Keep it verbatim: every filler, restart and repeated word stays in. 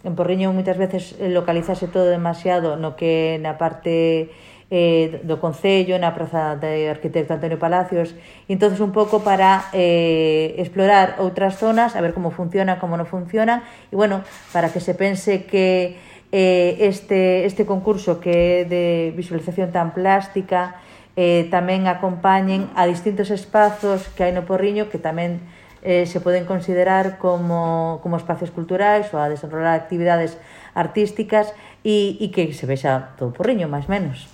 en Porriño moitas veces localizase todo demasiado no que na parte eh, do Concello, na praza de arquitecto Antonio Palacios, e entonces un pouco para eh, explorar outras zonas, a ver como funciona, como non funciona, e bueno, para que se pense que eh, este, este concurso que é de visualización tan plástica eh, tamén acompañen a distintos espazos que hai no Porriño que tamén eh, se poden considerar como, como espacios culturais ou a desenrolar actividades artísticas e, e que se vexa todo o Porriño, máis menos.